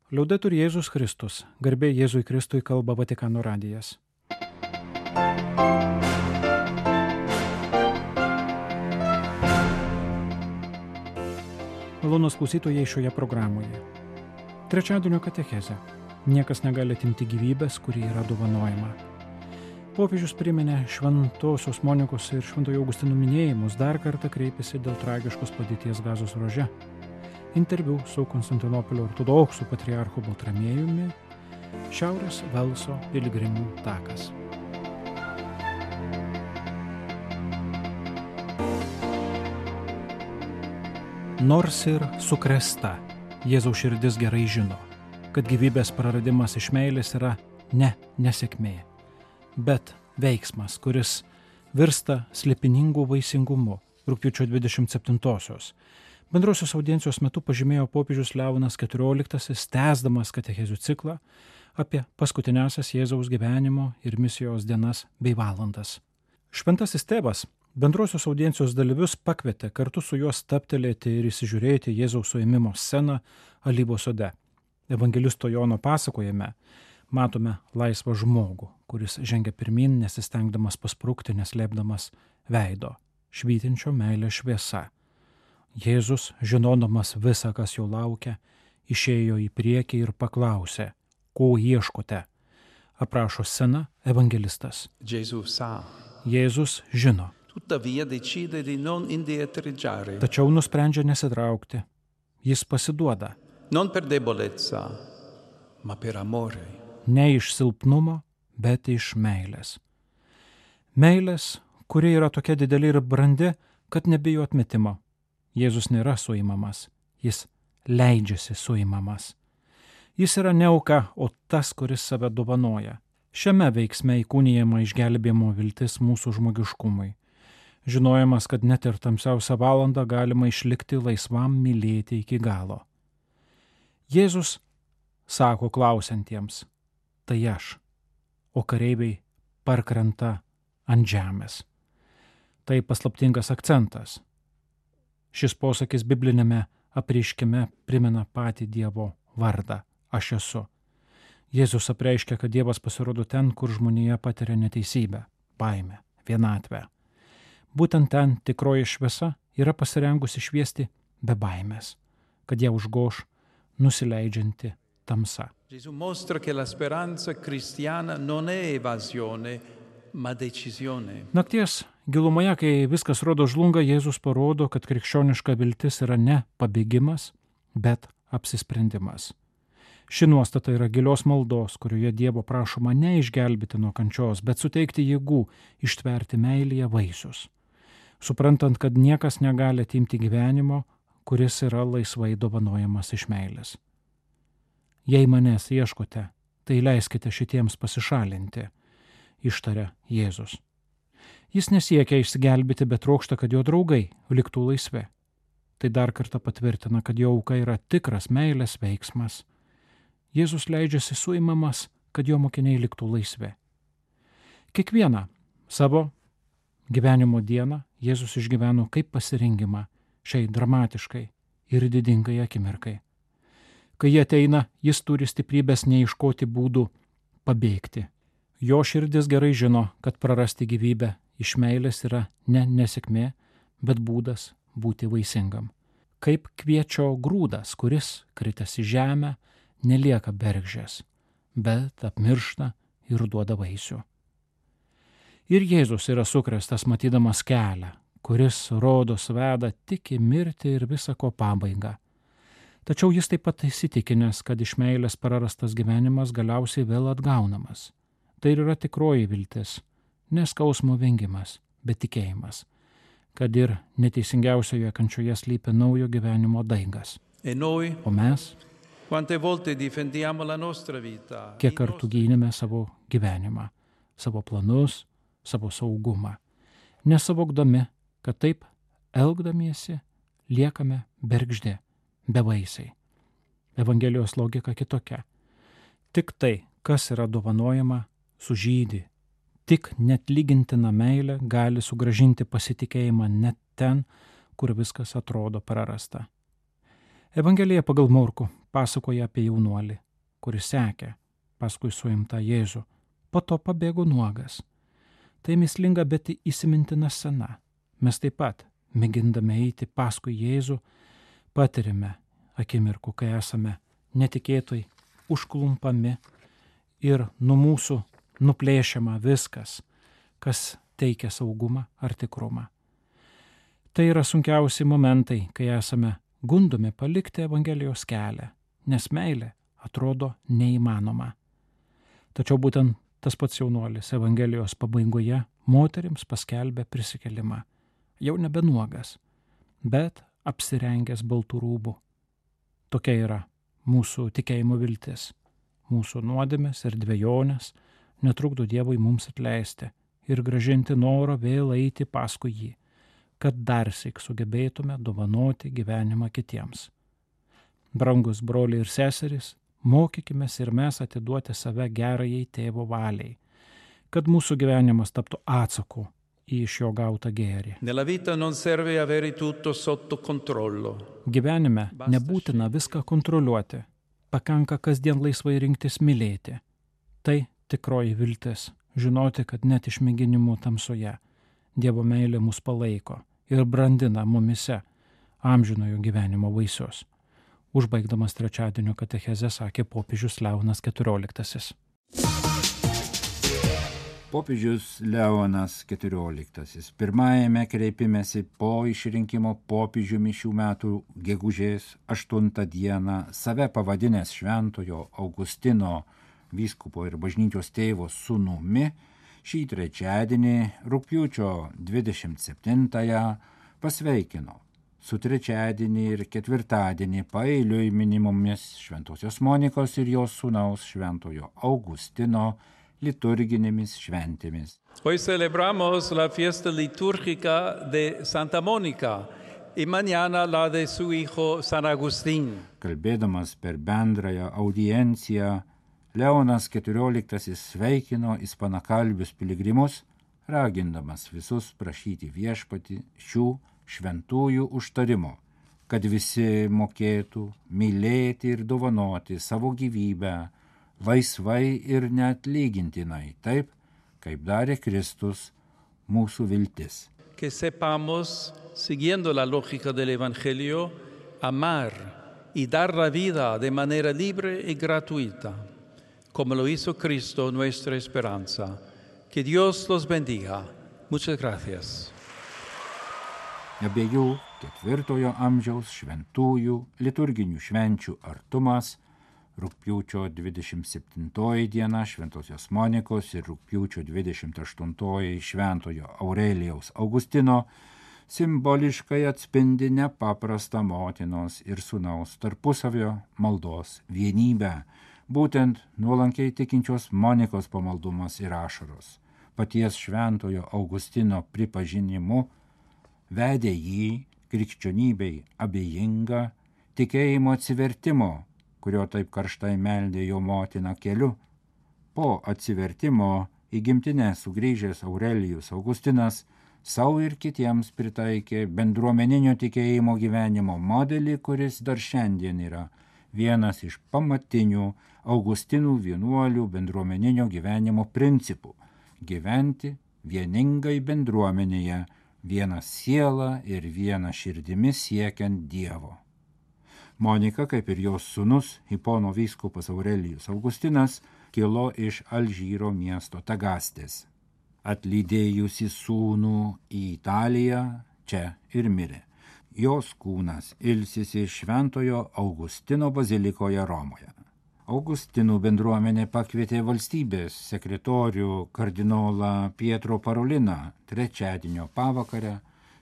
Liaudetur Jėzus Kristus, garbė Jėzui Kristui, kalba Vatikano radijas. Malonūs klausytojai šioje programoje. Trečiadienio katechezė. Niekas negali atimti gyvybės, kuri yra dovanojama. Popiežius priminė Šventosios Monikos ir Šventojo Augustino minėjimus, dar kartą kreipėsi dėl tragiškos padėties Gazos ruože. Interviu su Konstantinopolio ortodoksų patriarchu Baltramiejumi, Šiaurės Velso piligrimų takas. Nors ir sukrėsta, Jėzaus širdis gerai žino, kad gyvybės praradimas iš meilės yra ne nesėkmė, bet veiksmas, kuris virsta slėpiningu vaisingumu. Rugpjūčio 27-osios. Bendrosios audiencijos metu pažymėjo popiežius Leonas XIV, tęsdamas katechezių ciklą apie paskutiniąsias Jėzaus gyvenimo ir misijos dienas bei valandas. Šventasis tėvas bendrosios audiencijos dalyvius pakvietė kartu su juo stabtelėti ir įsižiūrėti Jėzaus suėmimo sceną Alyvos sode. Evangelisto Jono pasakojime matome laisvą žmogų, kuris žengia pirmyn, nesistengdamas pasprukti, neslėpdamas veido, švytinčio meilės šviesa. Jėzus, žinodamas visą, kas jo laukia, išėjo į priekį ir paklausė, ko ieškote. Aprašo sceną evangelistas. Jėzus žino. Tačiau nusprendžia nesitraukti. Jis pasiduoda. Ne iš silpnumo, bet iš meilės. Meilės, kuri yra tokia didelė ir brandi, kad nebijo atmetimo. Jėzus nėra suimamas, jis leidžiasi suimamas. Jis yra ne auka, o tas, kuris save dovanoja. Šiame veiksme įkūnijama išgelbėjimo viltis mūsų žmogiškumui. Žinojimas, kad net ir tamsiausią valandą galima išlikti laisvam mylėti iki galo. Jėzus sako klausiantiems, tai aš, o kareiviai parkrenta ant žemės. Tai paslaptingas akcentas. Šis posakis biblinėme apreiškime primena patį Dievo vardą – aš esu. Jėzus apreiškia, kad Dievas pasirodo ten, kur žmonija patiria neteisybę, baimę, vienatvę. Būtent ten tikroji šviesa yra pasirengusi šviesti be baimės, kad ją užgoš nusileidžianti tamsa. Gesù mostra che la speranza cristiana non è evasione, ma decisione. Nakties gilumoje, kai viskas rodo žlunga, Jėzus parodo, kad krikščioniška viltis yra ne pabėgimas, bet apsisprendimas. Ši nuostata yra gilios maldos, kurioje Dievo prašoma ne išgelbėti nuo kančios, bet suteikti jėgų ištverti meilėje vaisius. Suprantant, kad niekas negali atimti gyvenimo, kuris yra laisvai dovanojamas iš meilės. Jei manęs ieškote, tai leiskite šitiems pasišalinti, ištaria Jėzus. Jis nesiekia išsigelbėti, bet trokšta, kad jo draugai liktų laisvi. Tai dar kartą patvirtina, kad jo auka yra tikras meilės veiksmas. Jėzus leidžiasi suimamas, kad jo mokiniai liktų laisvi. Kiekvieną savo gyvenimo dieną Jėzus išgyveno kaip pasirengimą šiai dramatiškai ir didingai akimirkai. Kai jie ateina, jis turi stiprybės neieškoti būdų pabėgti. Jo širdis gerai žino, kad prarasti gyvybę iš meilės yra ne nesėkmė, bet būdas būti vaisingam. Kaip kviečio grūdas, kuris, kritęs į žemę, nelieka bergždžias, bet apmiršta ir duoda vaisių. Ir Jėzus yra sukrėstas matydamas kelią, kuris rodos veda tik į mirtį ir visako pabaigą. Tačiau jis taip pat įsitikinęs, kad iš meilės prarastas gyvenimas galiausiai vėl atgaunamas. Tai yra tikroji viltis, ne skausmo vengimas, bet tikėjimas, kad ir neteisingiausioje kančioje slypi naujo gyvenimo daigas. O mes, kiek kartų gynėme savo gyvenimą, savo planus, savo saugumą, nesavokdami, kad taip elgdamiesi liekame bergždi, bevaisiai. Evangelijos logika kitokia. Tik tai, kas yra dovanojama, sužydi. Tik netlygintina meilė gali sugrąžinti pasitikėjimą net ten, kur viskas atrodo prarasta. Evangelija pagal Morkų pasakoja apie jaunuolį, kuris sekė paskui suimtą Jėzų, po to pabėgo nuogas. Tai mįslinga, bet įsimintina scena. Mes taip pat, mėgindami eiti paskui Jėzų, patirime akimirkų, kai esame netikėtai užklumpami ir nuo mūsų nuplėšiama viskas, kas teikia saugumą ar tikrumą. Tai yra sunkiausi momentai, kai esame gundomi palikti Evangelijos kelią, nes meilė atrodo neįmanoma. Tačiau būtent tas pats jaunuolis Evangelijos pabaigoje moterims paskelbė prisikėlimą, jau nebe nuogas, bet apsirengęs baltų rūbų. Tokia yra mūsų tikėjimo viltis. Mūsų nuodėmės ir dvejonės netrukdo Dievui mums atleisti ir grąžinti norą vėl eiti paskui jį, kad darsyk sugebėtume dovanoti gyvenimą kitiems. Brangus broliai ir seserys, mokykimės ir mes atiduoti save gerajai tėvo valiai, kad mūsų gyvenimas taptų atsaku į iš jo gautą gėrį. Nella vita non serve avere tutto sotto controllo. Gyvenime nebūtina viską kontroliuoti, pakanka kasdien laisvai rinktis mylėti. Tai tikroji viltis, žinoti, kad net išmėginimų tamsoje Dievo meilė mus palaiko ir brandina mumise amžinojo gyvenimo vaisius. Užbaigdamas trečiadienio katechezę sakė popiežius Leonas XIV. Popiežius Leonas XIV pirmajame kreipimesi po išrinkimo popiežiumi šių metų gegužės 8 dieną save pavadinęs Šventojo Augustino vyskupo ir bažnyčios tėvo sūnumi, šį trečiadienį rugpjūčio 27-ąją pasveikino su trečiadienį ir ketvirtadienį paeiliui minimomis Šventosios Monikos ir jos sūnaus Šventojo Augustino liturginėmis šventėmis. Hoy celebramos la fiesta litúrgica de Santa Mónica y mañana la de su hijo San Agustín. Kalbėdamas per bendrąją audienciją, Leonas XIV sveikino ispanakalbius piligrimus, ragindamas visus prašyti viešpatį šių šventųjų užtarimo, kad visi mokėtų mylėti ir dovanoti savo gyvybę laisvai ir neatlygintinai, taip, kaip darė Kristus, mūsų viltis. Que sepamos, siguiendo la lógica del Evangelio, amar y dar la vida de manera libre y gratuita, como lo hizo Cristo, nuestra esperanza. Que Dios los bendiga. Muchas gracias. Abiejų 4 amžiaus šventųjų liturginių švenčių artumas, rugpjūčio 27 diena Šventosios Monikos ir rugpjūčio 28 Šventojo Aurelijaus Augustino, simboliškai atspindi nepaprastą motinos ir sūnaus tarpusavio maldos vienybę, būtent nuolankiai tikinčios Monikos pamaldumas ir ašaros, paties Šventojo Augustino pripažinimu, vedė jį krikščionybei abejingą tikėjimo atsivertimo, kurio taip karštai meldė jo motina keliu. Po atsivertimo į gimtinę sugrįžęs Aurelijus Augustinas savo ir kitiems pritaikė bendruomeninio tikėjimo gyvenimo modelį, kuris dar šiandien yra vienas iš pamatinių Augustinų vienuolių bendruomeninio gyvenimo principų – gyventi vieningai bendruomenėje, viena siela ir viena širdimi siekiant Dievo. Monika, kaip ir jos sūnus, Hipono vyskupas Aurelijus Augustinas, kilo iš Alžyro miesto Tagastės. Atlydėjusi sūnų į Italiją, čia ir mirė. Jos kūnas ilsisi Šventojo Augustino bazilikoje Romoje. Augustinų bendruomenė pakvietė valstybės sekretorių kardinolą Pietro Paroliną trečiadienio pavakarę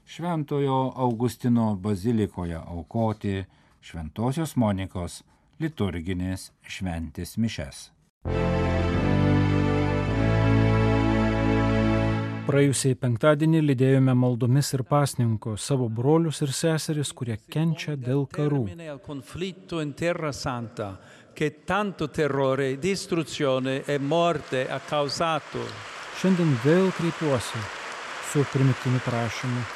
Šventojo Augustino bazilikoje aukoti Šventosios Monikos liturginės šventės mišes. Praėjusiai penktadienį lydėjome maldomis ir pasninko savo brolius ir seseris, kurie kenčia dėl karų. Che tanto terrore, distruzione e morte ha causato. Šiandien vėl kreipiuosi su primygtiniu prašymu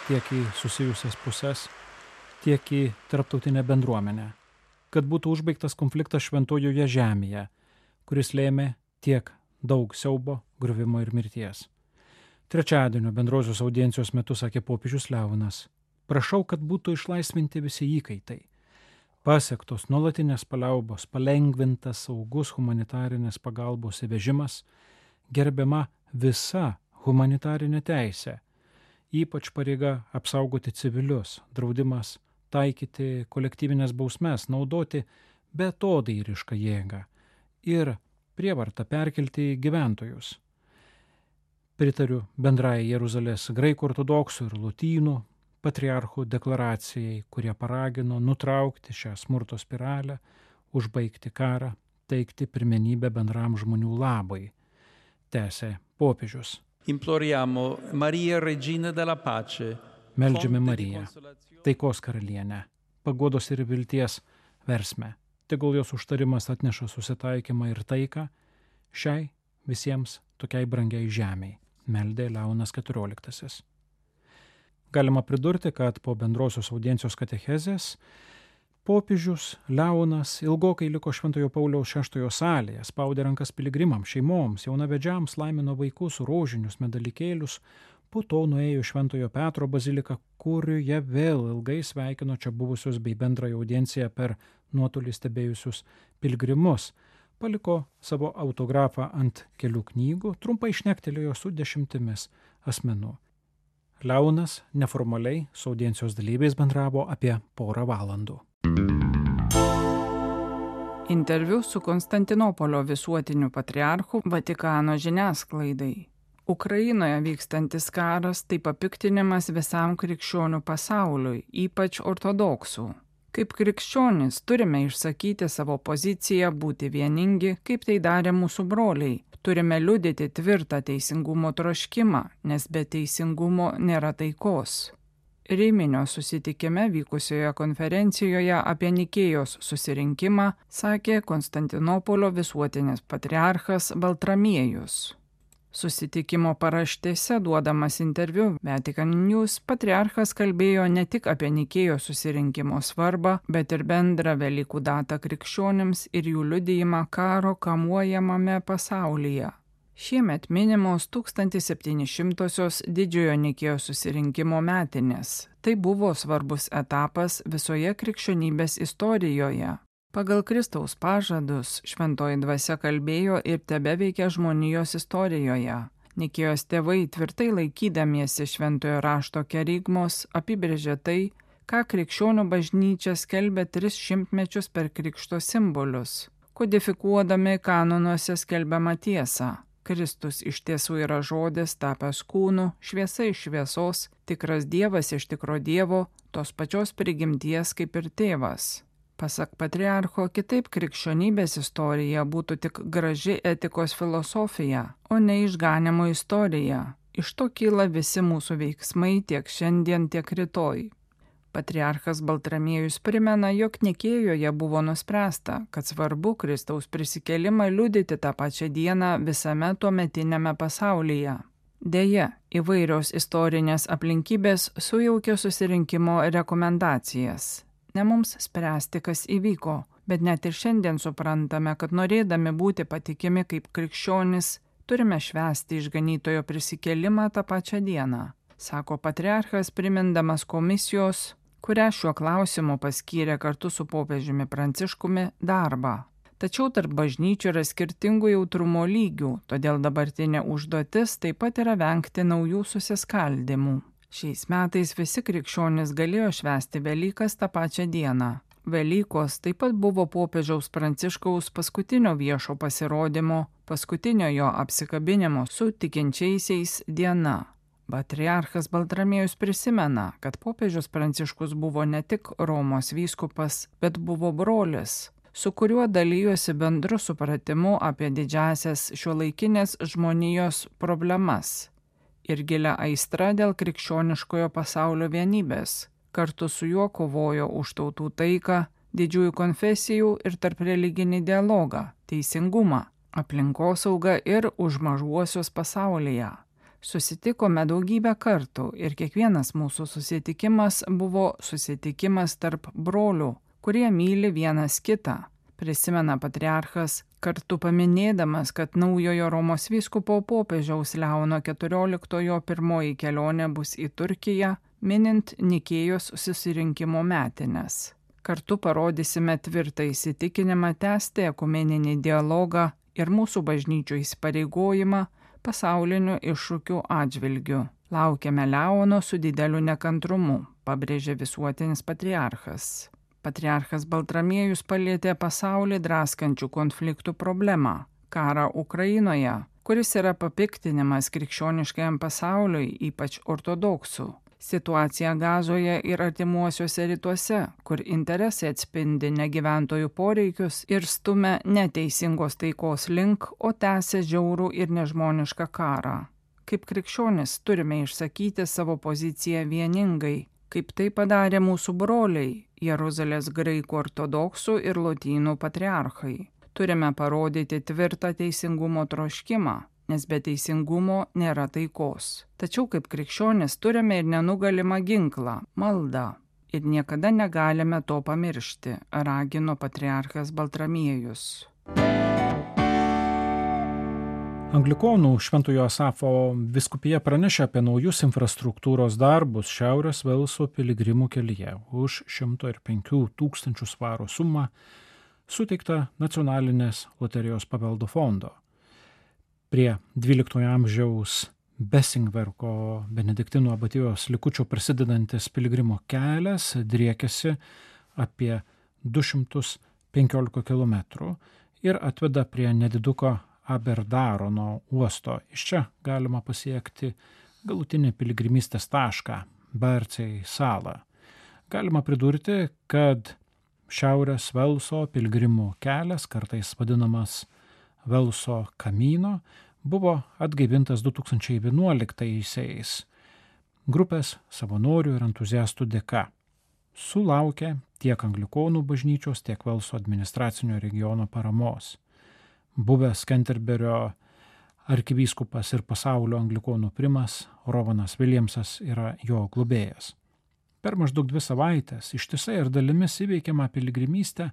tiek į susijusias puses, tiek į tarptautinę bendruomenę. kad būtų užbaigtas konfliktas Šventojoje žemėje, kuris lėmė tiek daug siaubo, griuvimo ir mirties. Trečiadienio bendrosios audiencijos metu sakė popiežius Leonas: prašau, kad būtų išlaisvinti visi įkaitai. Pasiektos nuolatinės paliaubos, palengvintas saugus humanitarinės pagalbos įvežimas, gerbiama visa humanitarinė teisė, ypač pareiga apsaugoti civilius, draudimas taikyti kolektyvinės bausmes, naudoti beatodairišką jėgą ir prievartą perkelti gyventojus. Pritariu bendrai Jeruzalės graikų ortodoksų ir lotynų patriarchų deklaracijai, kurie paragino nutraukti šią smurto spiralę, užbaigti karą, teikti pirmenybę bendram žmonių labai, tęsė popiežius. Imploriamo Maria Regina della Pace. Meldžiame Mariją, taikos karalienę, paguodos ir vilties versmę. Tegul jos užtarimas atneša susitaikymą ir taiką šiai visiems tokiai brangiai žemiai, meldė Leonas XIV. Galima pridurti, kad po bendrosios audiencijos katechezės popiežius Leonas ilgokai liko Šventojo Pauliaus VI salėje, spaudė rankas piligrimams, šeimoms, jaunavedžiams, laimino vaikus, rožinius, medalikėlius, po to nuėjo Šventojo Petro baziliką, kurioje vėl ilgai sveikino čia buvusius bei bendrąją audienciją per nuotolį stebėjusius piligrimus, paliko savo autografą ant kelių knygų, trumpai šnektelėjo su 10 asmenų. Leonas neformaliai su audiencijos dalyviais bendravo apie porą valandų. Interviu su Konstantinopolio visuotiniu patriarchu Vatikano žiniasklaidai. Ukrainoje vykstantis karas tai papiktinimas visam krikščionių pasauliui, ypač ortodoksų. Kaip krikščionys turime išsakyti savo poziciją, būti vieningi, kaip tai darė mūsų broliai. Turime liudyti tvirtą teisingumo troškimą, nes be teisingumo nėra taikos. Riminio susitikime vykusioje konferencijoje apie Nikėjos susirinkimą sakė Konstantinopolio visuotinis patriarchas Baltramiejus. Susitikimo paraštėse duodamas interviu Vatican News patriarchas kalbėjo ne tik apie Nikėjos susirinkimo svarbą, bet ir bendrą Velykų datą krikščionims ir jų liudijimą karo kamuojamame pasaulyje. Šiemet minimos 1700-osios didžiojo Nikėjos susirinkimo metinės. Tai buvo svarbus etapas visoje krikščionybės istorijoje. Pagal Kristaus pažadus šventoji dvasia kalbėjo ir tebeveikia žmonijos istorijoje. Nikėjos tėvai tvirtai laikydamiesi šventojo rašto kerygmos apibrėžė tai, ką krikščionių bažnyčia skelbė 300 mečius per krikšto simbolius, kodifikuodami kanonuose skelbiamą tiesą. Kristus iš tiesų yra žodis tapęs kūnu, šviesa iš šviesos, tikras Dievas iš tikro Dievo, tos pačios prigimties kaip ir tėvas. Pasak patriarcho, kitaip krikščionybės istorija būtų tik graži etikos filosofija, o ne išganimo istorija. Iš to kyla visi mūsų veiksmai tiek šiandien, tiek rytoj. Patriarchas Baltramiejus primena, jog Nikėjoje buvo nuspręsta, kad svarbu Kristaus prisikėlimą liudyti tą pačią dieną visame tuometiniame pasaulyje. Deja, įvairios istorinės aplinkybės sujaukė susirinkimo rekomendacijas. Ne mums spręsti, kas įvyko, bet net ir šiandien suprantame, kad norėdami būti patikimi kaip krikščionys, turime švęsti išganytojo prisikėlimą tą pačią dieną, sako patriarchas primindamas komisijos, kurią šiuo klausimu paskyrė kartu su popiežiumi Pranciškumi darbą. Tačiau tarp bažnyčių yra skirtingų jautrumo lygių, todėl dabartinė užduotis taip pat yra vengti naujų susiskaldimų. Šiais metais visi krikščionys galėjo švęsti Velykas tą pačią dieną. Velykos taip pat buvo popiežiaus Pranciškaus paskutinio viešo pasirodymo, paskutinio jo apsikabinimo su tikinčiaisiais diena. Patriarchas Baltramiejus prisimena, kad popiežius Pranciškus buvo ne tik Romos vyskupas, bet buvo brolis, su kuriuo dalijosi bendru supratimu apie didžiąsias šiuolaikinės žmonijos problemas ir gilia aistra dėl krikščioniškojo pasaulio vienybės. Kartu su juo kovojo už tautų taiką, didžiųjų konfesijų ir tarp religinį dialogą, teisingumą, aplinkosaugą ir už mažuosius pasaulyje. Susitikome daugybę kartų ir kiekvienas mūsų susitikimas buvo susitikimas tarp brolių, kurie myli vienas kitą, prisimena patriarchas, kartu paminėdamas, kad naujojo Romos vyskupo popiežiaus Leono XIV pirmoji kelionė bus į Turkiją, minint Nikėjos susirinkimo metines. Kartu parodysime tvirtą įsitikinimą tęsti ekumeninį dialogą ir mūsų bažnyčių įsipareigojimą pasaulinių iššūkių atžvilgių. Laukiame Leono su dideliu nekantrumu, pabrėžė visuotinis patriarchas. Patriarchas Baltramiejus palietė pasaulį draskančių konfliktų problemą – karą Ukrainoje, kuris yra papiktinimas krikščioniškajam pasauliui, ypač ortodoksų. Situacija Gazoje ir artimuosiuose rytuose, kur interesai atspindi ne gyventojų poreikius ir stumia neteisingos taikos link, o tęsia žiaurų ir nežmonišką karą. Kaip krikščionis turime išsakyti savo poziciją vieningai, kaip tai padarė mūsų broliai, Jeruzalės graikų ortodoksų ir lotynų patriarchai. Turime parodyti tvirtą teisingumo troškimą, nes be teisingumo nėra taikos. Tačiau kaip krikščionis turime ir nenugalimą ginklą – maldą. Ir niekada negalime to pamiršti, ragino patriarchas Baltramiejus. Anglikonų Šventojo Asafo vyskupija pranešė apie naujus infrastruktūros darbus Šiaurės Velso piligrimų kelyje už 105 000 svarų sumą suteikta Nacionalinės loterijos paveldo fondo. Prie 12 amžiaus Besingverko benediktinų abatijos likučio prasidedantis piligrimų kelias driekiasi apie 215 km ir atveda prie nediduko Aberdarono uosto. Iš čia galima pasiekti galutinį piligrimystės tašką – Barcei salą. Galima pridurti, kad Šiaurės Velso piligrimų kelias, kartais vadinamas Velso kamino, buvo atgaivintas 2011-aisiais grupės savanorių ir entuziastų dėka. Sulaukė tiek Anglikonų bažnyčios, tiek Velso administracinio regiono paramos. Buvęs Canterburio arkivyskupas ir pasaulio anglikonų primas Rovanas Williamsas yra jo globėjas. Per maždaug 2 savaitės ištisai ir dalimis įveikiama piligrimystė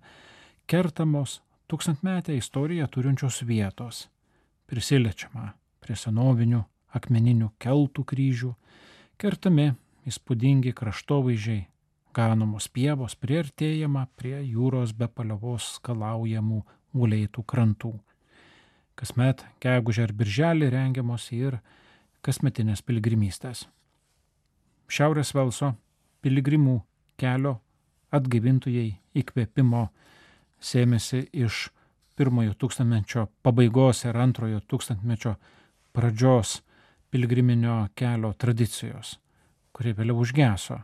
kertamos tūkstantmetę istoriją turinčios vietos. Prisiliečiama prie senovinių akmeninių keltų kryžių, kertami įspūdingi kraštovaizdžiai, ganomos pievos, priartėjama prie jūros be paliovos skalaujamų uleitų krantų. Kasmet gegužę ir birželį rengiamos ir kasmetinės piligrimystės. Šiaurės Velso piligrimų kelio atgaivintojai įkvėpimo sėmėsi iš 1-ojo tūkstantmečio pabaigos ir 2-ojo tūkstantmečio pradžios piligriminio kelio tradicijos, kuri vėliau užgeso.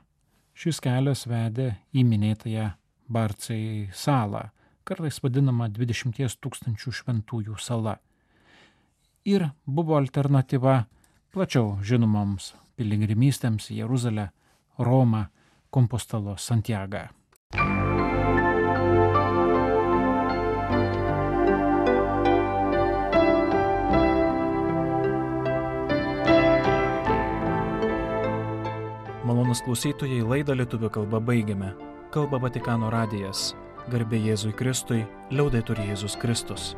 Šis kelias vedė į minėtąją Barcei salą, kartais vadinama 20 000 šventųjų sala. Ir buvo alternatyva plačiau žinomoms piligrimystėms į Jeruzalę, Romą, Kompostelo, Santiagą. Malonūs klausytojai, laidą lietuvių kalba baigiame. Kalba Vatikano radijas. Garbė Jėzui Kristui, liaudetur Jėzus Kristus.